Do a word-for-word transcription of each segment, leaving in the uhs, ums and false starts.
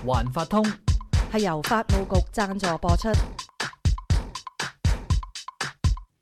環發通係由法務局贊助播出。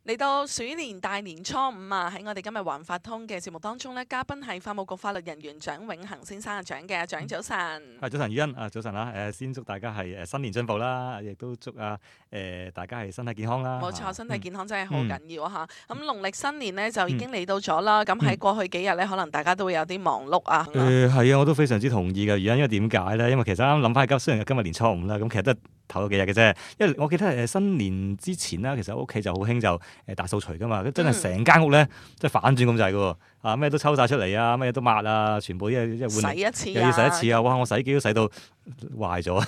嚟到鼠年大年初五啊！喺我哋今日環法通嘅節目當中呢，嘉賓係法務局法律人員蔣永恒先生啊，蔣嘅蔣早晨。係早晨，宇欣啊，早晨啦！誒，先祝大家係誒新年進步啦，亦都祝啊誒大家係身體健康啦。冇錯，身體健康真係好嗯緊要啊嚇！咁農曆新年呢，就已經嚟到咗啦。咁喺過去幾日呢，可能大家都會有啲忙碌啊。誒係啊，我都非常之同意嘅。原因因為點解咧？因為其實啱啱諗翻起今，雖然今日年初五啦，咁其實都頭嗰幾日嘅啫。因為我記得誒新年之前啦，其實屋企就好興就誒大掃除噶嘛，真係成間屋咧即係反轉咁滯嘅喎。啊咩都抽晒出嚟啊，咩都抹啊，全部一一換洗一次又要洗一次啊！哇，我洗機都洗到壞咗，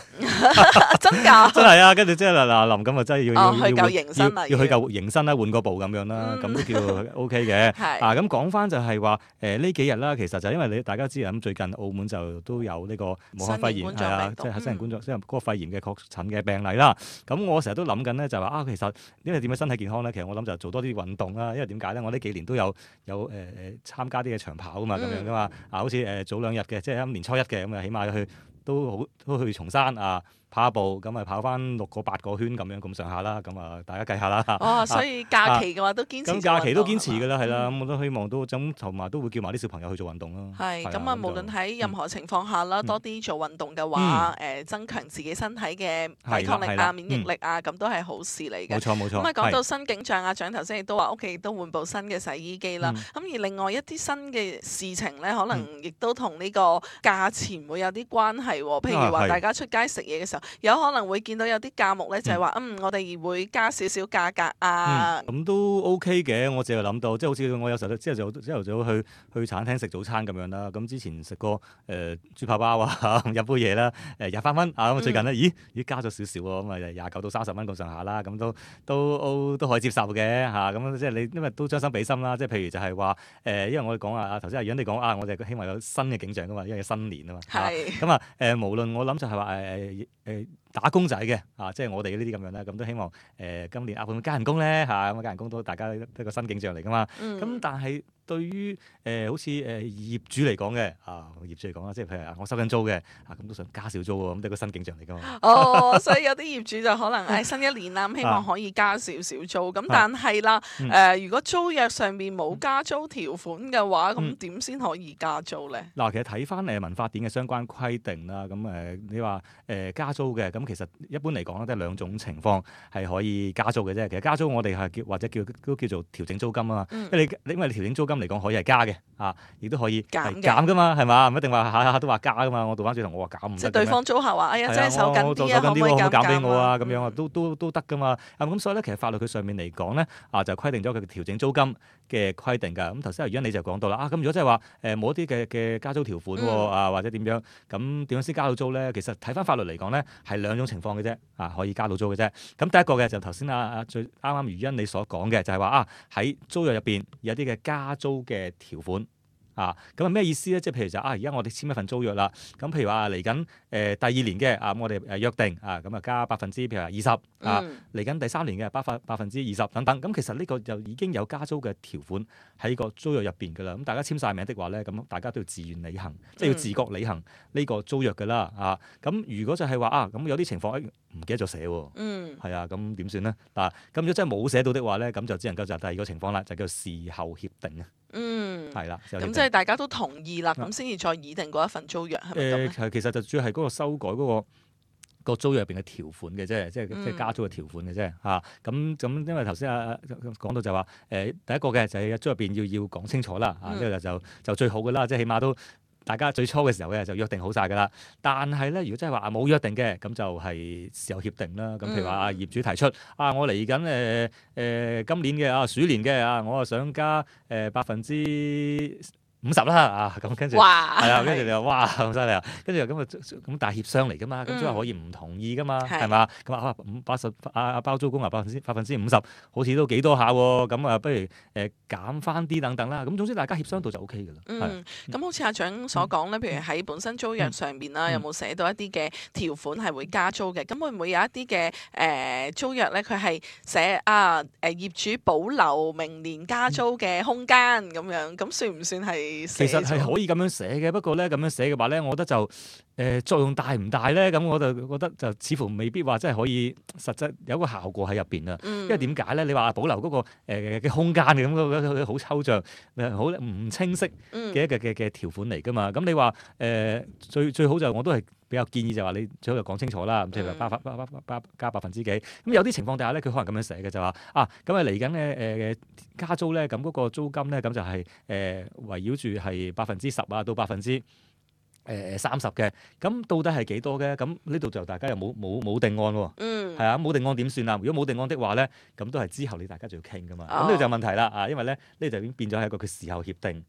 真㗎？真係啊！跟住即係嗱嗱臨咁啊，真係要哦去舊迎新啦要要去舊迎新啦，換個部咁樣啦，咁都叫 O K 嘅。係啊，咁講翻就係話誒呢幾日啦，其實就因為你大家知啊，咁最近澳門就都有呢個武漢肺炎係啊，即係新型冠狀即係嗰個肺炎嘅確診嘅病例啦。咁我成日都諗緊咧，就話啊，其實因為點樣身體健康咧？其實我諗就做多啲運動啦。因為點解咧？我呢幾年都有有誒誒參加啲嘅長跑啊嘛，咁樣噶嘛。啊，好似誒早兩日嘅，即係啱年初一嘅咁啊，起碼去都好都去松山啊。跑下步咁啊，跑翻六個八個圈咁樣咁上下啦，咁啊大家計下啦。哦，所以假期嘅話都堅持。咁假期都堅持㗎啦，係啦，嗯咁我都希望都咁同埋都會叫埋啲小朋友去做運動咯。係咁啊，啊無論喺任何情況下啦，嗯多啲做運動嘅話，誒增強自己身體嘅抵抗力啊、係啦免疫力啊，咁都係好事嚟嘅。冇錯冇錯。咁啊，講到係新景象啊，蔣頭先亦都話屋企都換部新嘅洗衣機啦。嗯咁而另外一啲新嘅事情咧，可能亦都同呢個價錢會有啲關係喎。譬如啊係話大家出街食嘢嘅時候，有可能會見到有啲價目咧，就係話嗯，我哋會加少少價格啊。嗯，咁都 OK 嘅。我淨係諗到，即係好似我有時候朝頭早朝頭早去去餐廳食早餐咁樣啦。咁之前食過誒、呃、豬扒包啊，飲杯嘢啦，誒廿八蚊啊。咁最近咧，咦咦加咗少少喎，咁啊廿九到三十蚊咁上下啦。咁都都都都可以接受嘅嚇。咁、啊、即係你因為都將心比心啦。即係譬如就係話誒，因為我哋講啊，頭先阿楊你講啊，我哋希望有新嘅景象噶嘛，因為新年啊嘛。係咁啊誒，無論我諗就係話誒誒打工仔嘅啊，即係我哋呢啲咁樣咧，咁都希望誒、呃、今年啊會唔會加人工咧嚇？咁啊加人工都大家一個新景象嚟噶嘛。咁、嗯但係對於誒、呃、好似誒、呃、業主嚟講嘅啊，業主嚟講啦，即係譬如啊我收緊租嘅啊，咁都想加少租喎，咁都係個新景象嚟噶嘛。哦，所以有啲業主就可能誒新一年啦，咁希望可以加少少租。咁但係啦，嗯誒如果租約上面冇加租條款嘅話，咁嗯點先可以加租咧？嗱，其實睇翻誒民法典嘅相關規定啦，咁誒你話誒加租嘅，咁其實一般嚟講咧，都係兩種情況係可以加租嘅啫。其實加租我哋係叫或者叫都叫做調整租金啊嘛，嗯因為你因為你調整租金嚟講可以係加嘅啊，亦都可以係減嘅減噶嘛，係嘛？唔一定話下下都話加噶嘛。我倒翻轉頭我話減唔即係對得嘅咩？方租客話：哎呀，係真係手緊我做啲啊，可唔可以手緊啲喎，可唔可以減俾我啊？咁嗯樣啊，都都都得噶嘛。啊咁所以咧，其實法律佢上面嚟講咧，啊就規定咗佢嘅調整租金嘅規定㗎。咁頭先阿袁你就講到啦，啊咁如果即係話誒冇一啲嘅嘅加租條款喎，嗯啊或者點樣，咁點樣先加到租咧？其實睇翻法律嚟講咧，係兩種情況嘅啫，啊可以加到租嘅啫。咁第一個嘅就頭先啊啊最啱啱余欣你所講嘅，就係話啊喺租約入邊有啲嘅加租嘅條款。啊，咁係咩意思咧？即係譬如就啊，而家我哋簽一份租約啦。咁譬如話嚟緊誒第二年嘅啊，咁我哋誒約定啊，咁啊加百分之譬如話二十啊，嗯嚟緊第三年嘅百分百分之二十等等。咁其實呢個就已經有加租嘅條款喺個租約入邊㗎啦。咁大家簽晒名的話咧，咁大家都要自願履行，即係要自覺履行呢個租約㗎啦。啊，咁如果就係話啊，咁有啲情況誒唔記得咗寫喎。嗯係啊，咁點算咧？嗱，咁如果真係冇寫到的話咧，咁就只能夠就第二個情況啦，就叫事後協定啊。嗯，係啦，事後協定咁即係大家都同意啦，咁先至再擬定嗰一份租約，係咪咁誒，咧？其實其實就主要係嗰個修改嗰、個。個租約入邊嘅條款嘅啫，即係嗯即係加租嘅條款嘅啫嚇。咁咁因為頭先啊講到就話誒第一個嘅就係租入邊要要講清楚啦啊，呢個就就最好嘅啦，即係起碼都大家最初嘅時候嘅就約定好晒㗎啦。但係咧，如果真係話啊冇約定嘅，咁就係事後協定啦。咁譬如話啊業主提出啊，我嚟緊誒誒今年嘅啊鼠年嘅啊，我啊想加誒百分之五十啦啊，咁跟住哇，係啊，跟住你話哇咁犀利啊，跟住咁啊咁但係協商嚟噶嘛，咁嗯即係可以唔同意噶嘛，係係嘛？咁啊五八十啊啊包租公啊百分之百分之五十，好似都幾多下喎，咁啊不如誒減翻啲等等啦。咁總之大家協商到就 O K 噶啦。係嗯，咁好似阿蔣所講咧，譬如喺本身租約上邊啦，嗯有冇寫到一啲嘅條款係會加租嘅？咁會唔會有一啲嘅誒租約咧？佢係寫啊誒業主保留明年加租嘅空間咁樣，咁算唔算係寫咗？其實係可以咁樣寫嘅，不過咧咁樣寫嘅話咧，我覺得就誒作用大唔大咧？咁我就覺得就似乎未必話真係可以實質有個效果喺入邊啊。嗯、因為點解咧？你話保留嗰、嗰個嘅、呃、空間嘅咁，嗰個好抽象、好唔清晰嘅一個嘅嘅條款嚟㗎嘛。咁你話誒、呃、最最好就我都係比較建議就話你最好就講清楚啦。咁即係話加加加加百分之幾。咁有啲情況底下咧，佢可能咁樣寫嘅就話啊，咁啊嚟緊嘅誒加租咧，咁嗰個租金咧，咁就係、是、誒、呃、圍繞住係百分之十啊到百分之誒三十嘅，咁到底係幾多嘅？咁呢度就大家又冇冇冇定案喎。嗯，係啊，冇定案點算啊？如果冇定案的話咧，咁都係之後你大家就要傾噶嘛。咁呢哦個就問題啦啊，因為咧呢就已經變咗係一個佢事後協定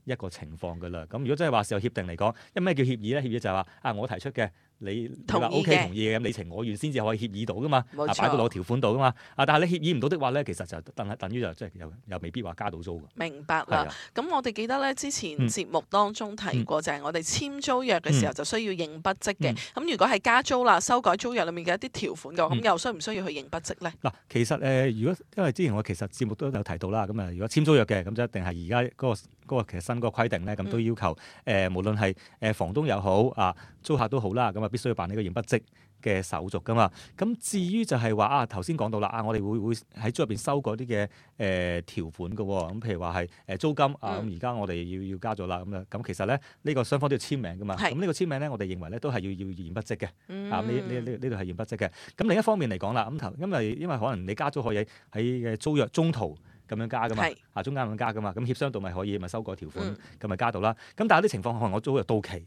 一個情況噶啦。咁如果真係話事後協定嚟講，因為咩叫協議咧？協議就係話啊，我提出嘅。你你話 O K 同意嘅，咁你情我願先至可以協議到噶嘛，冇錯啊擺到落條款度噶嘛，啊但係你協議唔到的話咧，其實就等係等於就即係又又未必話加到租㗎。明白啦。咁、啊、我哋記得咧，之前節目當中提過，嗯、就係我哋簽租約嘅時候就需要認筆跡嘅。咁、嗯、如果係加租啦，修改租約裡面嘅一啲條款嘅話，咁、嗯、又需唔需要去認筆跡咧？嗱，其實誒、呃，如果因為之前我其實節目都有提到啦，咁啊，如果簽租約嘅，咁就一定係而家嗰個嗰、嗰個其實新嗰個規定咧，咁都要求誒、呃，無論係誒房東又好啊，租客都好啦，咁啊必須要辦呢個認筆跡嘅手續噶嘛。咁至於就係話啊，頭先講到啦，啊我哋會會喺租入邊修改啲嘅誒條款嘅喎。咁譬如話係誒租金、嗯、啊，咁而家我哋要要加咗啦。咁啊，咁其實咧呢、呢個雙方都要簽名噶嘛。咁呢是個簽名咧，我哋認為咧都係要要驗筆跡嘅。嗯、啊，呢呢呢呢度係驗筆跡嘅。咁另一方面嚟講啦，咁頭因為因為可能你加租可以喺嘅租約中途咁樣加噶嘛，是啊中間咁加噶嘛，咁協商到咪可以咪修改條款咁咪、嗯、加到啦。咁但係有啲情況可能我租約到期。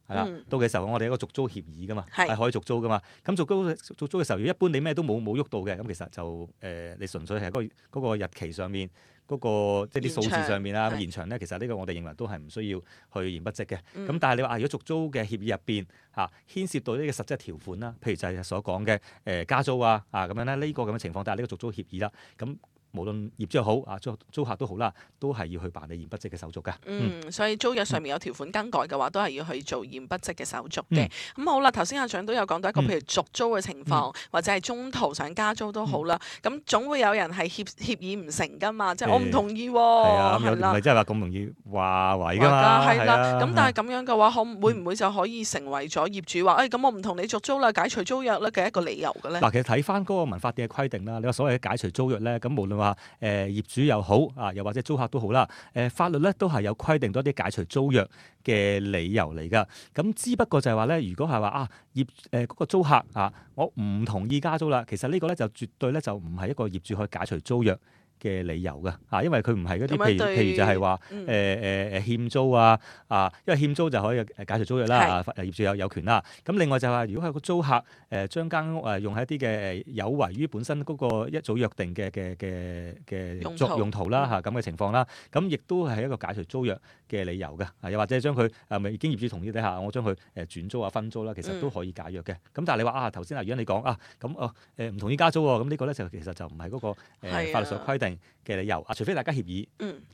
係啦，嗯、到嘅時候我哋有一個續租協議噶嘛，係是可以續租噶嘛。咁續租續租嘅時候，一般你咩都冇冇喐到嘅，咁其實就誒、呃、你純粹係嗰嗰個日期上面嗰、那個即係啲數字上面啦，延長咧，其實呢個我哋認為都係唔需要去驗筆跡嘅。咁、嗯、但係你話如果續租嘅協議入邊嚇牽涉到呢個實質條款啦，譬如就係所講嘅誒加租啊啊咁樣咧，呢、這個咁嘅情況，但係呢個續租協議啦，咁。無論業主又好啊，租租客都好啦，都係要去辦理驗筆跡嘅手續㗎。嗯，嗯所以租約上面有條款更改嘅話，都係要去做驗筆跡嘅手續嘅。咁、嗯、好啦，頭先阿長都有講到一個，譬如續租嘅情況，嗯、或者係中途想加租都好啦。咁、嗯、總會有人係協協議唔成㗎嘛，即係我唔同意喎。係啊，咁唔係真係話咁容易話為㗎嘛。係啦，咁但係咁樣嘅話，可會唔會就可以成為咗業主話，誒咁、哎、我唔同你續租啦，解除租約咧嘅一個理由嘅咧？嗱，其實睇翻嗰個民法典嘅規定啦，你話所謂嘅解除租約咧，咁無論話誒、呃、業主又好啊，又或者租客都好啦。誒法律咧都係有規定多啲解除租約嘅理由嚟㗎。咁只不過就係話咧，如果係話啊業誒嗰、呃嗰個租客啊，我唔同意加租啦，其實呢個咧就絕對咧就唔係一個業主可以解除租約嘅理由㗎嚇，因為佢唔係嗰啲譬如譬如就係話誒誒誒欠租啊啊，因為欠租就可以誒解除租約啦，啊業主有有權啦。咁另外就係話，如果係個租客誒將間屋誒用喺一啲嘅誒有違於本身嗰個一早約定嘅嘅嘅嘅作用途啦嚇咁嘅情況啦，咁亦都係一個解除租約嘅理由㗎。啊又或者將佢誒未經業主同意底下，我將佢誒轉租啊分租啦，其實都可以解約嘅。咁但係你話啊頭先啊，如果你講啊咁哦誒唔同意加租喎，咁呢個咧就其實就唔係嗰個誒法律上規定嘅理由啊，除非大家協議，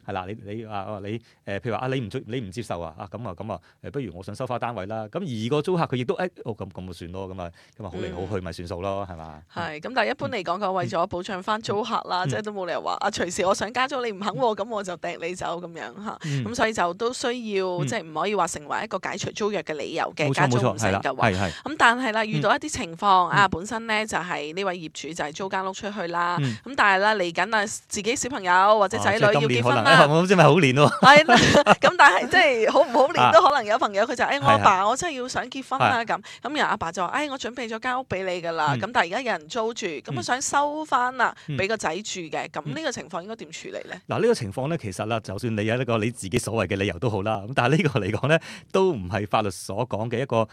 係啦、嗯，你你啊你誒、呃，譬如話啊，你唔接你唔接受啊，啊咁啊咁啊，誒，不如我想收翻單位啦。咁而個租客佢亦都誒，哦咁咁就算咯，咁啊咁啊好嚟好去咪算數咯，係嘛？係，咁但係一般嚟講嘅，為咗保障翻租客啦，嗯、即係都冇理由話啊，隨時我想加租你唔肯喎，咁、嗯、我就掟你走咁樣嚇。咁、嗯、所以就都需要、嗯、即係唔可以話成為一個解除租約嘅理由嘅加租唔成嘅話。咁但係啦，遇到一啲情況、嗯、啊，本身咧就係、是、呢位業主就係租間屋出去啦。咁、嗯、但係啦嚟緊啊，自己小朋友或者仔女要結婚啦，我唔知咪好年喎。係啦，咁但係即係好唔好年都可能有朋友佢就誒我阿爸我真係要想結婚啦咁，咁然後阿爸就話誒我準備咗間屋俾你㗎啦，咁但係而家有人租住，咁我想收翻啦，俾個仔住嘅，咁呢個情況應該點處理咧？嗱呢個情況咧，其實啦，就算你有一個你自己所謂嘅理由都好啦，咁但係呢個嚟講咧，都唔係法律所講嘅一個誒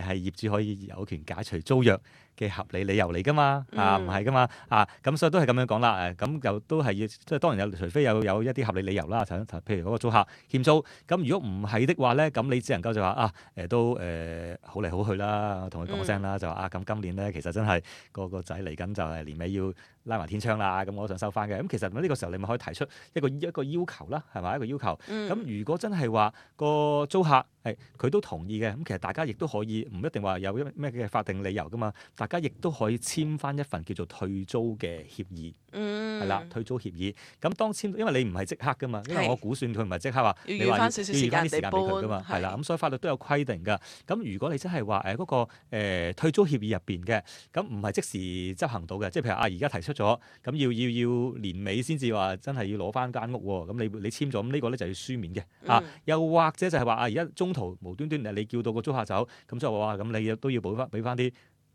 係業主可以有權解除租約嘅合理理由嚟㗎嘛，啊唔係㗎嘛，啊咁所以都係咁樣講啦，誒咁又都係要即係當然有，除非有有一啲合理理由啦，譬如嗰個租客欠租，咁如果唔係的話咧，咁你只能夠就話啊誒都誒好嚟好去啦，同佢講聲啦，就話啊咁今年咧其實真係個個仔嚟緊就係年尾要拉埋天窗啦，咁我都想收翻嘅，咁其實呢個時候你咪可以提出一個一個要求啦，係咪一個要求？咁、嗯、如果真係話個租客係佢都同意嘅，咁其實大家亦都可以唔一定話有咩嘅法定理由㗎嘛。大家亦都可以簽翻一份叫做退租嘅協議。嗯，係啦，退租協議。咁當簽，因為你唔係即刻噶嘛，因為我估算佢唔係即刻話，要預翻少少時間俾佢噶嘛，係啦。咁所以法律都有規定㗎。咁如果你真係話誒嗰個、呃、退租協議入邊嘅，咁唔係即時執行到嘅，即係譬如啊，而家提出咗，咁要要要年尾先至話真係要攞翻間屋喎。咁你你簽咗，咁呢個咧就要書面嘅。嗯、啊，又或者就係話啊，而家中途無端端你叫到個租客走，咁就話咁你都要補翻俾翻啲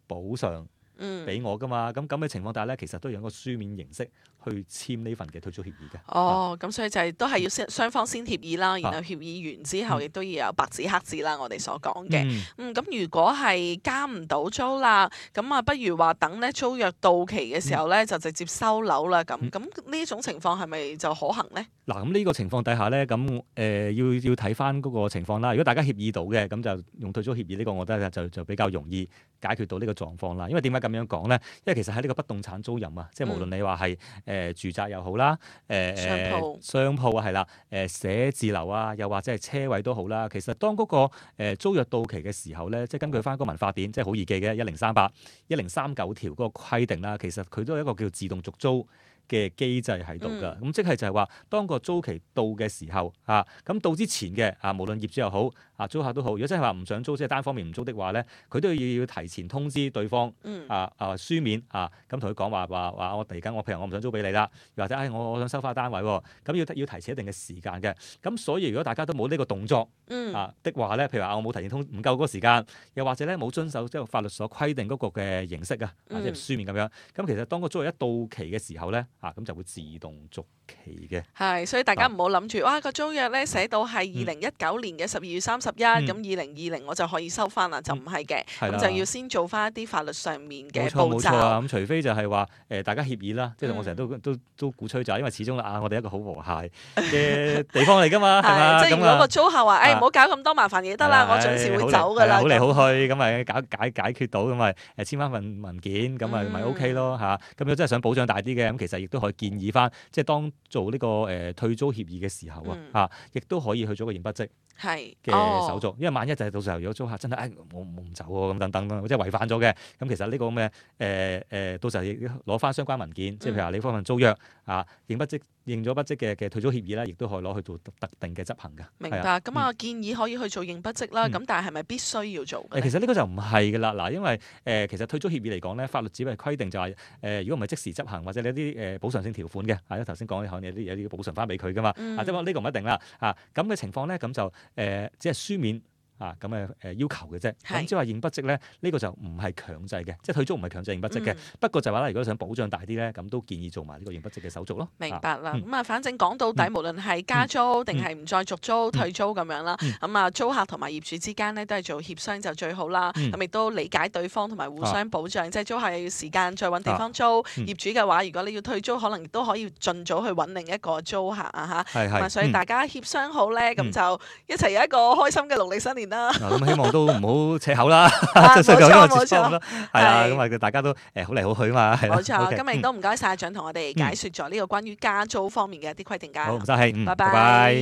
補償。嗯，俾我噶嘛，咁咁嘅情況下咧，其實都有一個書面形式去簽呢份嘅退租協議嘅。哦，咁、啊、所以就係都係要先雙方先協議啦，然後協議完之後，亦都要有白紙黑字啦。嗯、我哋所講嘅，嗯，咁、嗯、如果係加唔到租啦，咁啊，不如話等咧租約到期嘅時候咧，嗯、就直接收樓啦。咁咁呢種情況係咪就可行咧？嗱，咁呢個情況底下咧，咁誒、呃、要要睇翻嗰個情況啦。如果大家協議到嘅，咁就用退租協議呢個，我覺得就就比較容易解決到呢個狀況啦。因為點解咁樣講咧？因為其實喺呢個不動產租賃啊，即係無論你話係誒住宅又好啦，誒、呃、商鋪商鋪啊係啦，誒寫字樓啊，又或者係車位都好啦。其實當嗰個租約到期嘅時候咧，即係根據翻嗰個民法典，即係好易記嘅一零三八、一零三九條嗰個規定啦，其實佢都係一個叫自動續租嘅機制喺度㗎，咁、嗯、即係就係話，當個租期到嘅時候，啊，咁到之前嘅啊，無論業主又好，啊租客都好，如果真係話唔想租，即係單方面唔租的話咧，佢都要要提前通知對方，嗯、啊啊書面啊，咁同佢講話話話我嚟緊，我譬如我唔想租俾你啦，又或者誒、哎、我我想收翻單位喎，咁要要提前一定嘅時間嘅，咁所以如果大家都冇呢個動作，嗯、啊的話咧，譬如話我冇提前通唔夠嗰個時間，又或者咧冇遵守即係法律所規定嗰個嘅形式啊，即係書面咁樣，咁其實當個租約一到期嘅時候咧，啊咁就會自動續期嘅。係，所以大家唔好諗住，哇個租約咧寫到係二零一九年嘅十二月三十一，咁二零二零我就可以收翻啦，就唔係嘅，咁、嗯、就要先做翻一啲法律上面嘅步驟。冇錯冇錯啊，咁除非就係話誒大家協議啦，即係、嗯、我成日都都都鼓吹就係，因為始終啊我哋一個好和諧嘅地方嚟㗎嘛，係嘛？即係如果個租客話誒唔好搞咁多麻煩嘢得啦，我準時會走㗎啦，好嚟好去咁咪搞解解決到咁咪誒簽翻份文件咁咪咪 OK 咯嚇。咁如果真係想保障大啲嘅，咁其實亦都可以建議翻，即係當做呢、這個誒、呃、退租協議嘅時候、嗯、啊，嚇，亦都可以去做個驗筆跡嘅手續，哦、因為萬一就係到時候如果租客真係誒我我唔走喎咁等等啦，即係違反咗嘅，咁其實呢個咁嘅誒誒，到時候攞翻相關文件，即係譬如話你嗰份租約啊，驗筆跡認咗筆跡嘅嘅退租協議咧，亦都可以攞去做特定嘅執行㗎。明白，咁啊、嗯、建議可以去做驗筆跡啦，咁、嗯、但係係咪必須要做嘅？其實呢個就唔係㗎啦，嗱，因為誒、呃、其實退租協議嚟講咧，法律只係規定就係、是、誒、呃，如果唔係即時執行或者你有啲誒補償性條款嘅，啊，頭先講可能有啲有啲補償翻俾佢㗎嘛，嗯、啊，即係話呢個唔一定啦，啊，咁嘅情況咧，咁就誒、呃、只係書面。啊，咁誒誒要求嘅啫，咁即係話驗筆跡咧，呢、呢個就唔係強制嘅，即係退租唔係強制驗筆跡嘅。嗯、不過就話啦，如果想保障大啲咧，咁都建議做埋呢個驗筆跡嘅手續咯。明白啦，咁啊、嗯，反正講到底，嗯、無論係加租定係唔再續租、嗯、退租咁樣啦，咁啊、嗯、租客同埋業主之間咧都係做協商就最好啦。咁亦、嗯、都理解對方同埋互相保障，啊、即係租客要時間再揾地方租，啊嗯、業主嘅話，如果你要退租，可能亦都可以盡早去揾另一個租客啊嚇。係係。咁所以大家協商好咧，咁、嗯、就一齊有一個開心嘅農曆新年啦。咁希望都唔好扯口啦，冇錯冇錯，係啊，咁啊大家都誒好嚟好去啊嘛，係冇錯，今日亦都唔該晒阿蔣同我哋解説咗呢個關於加租方面嘅一啲規定㗎。好，唔該，拜拜。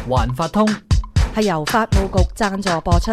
環法通係由法務局贊助播出。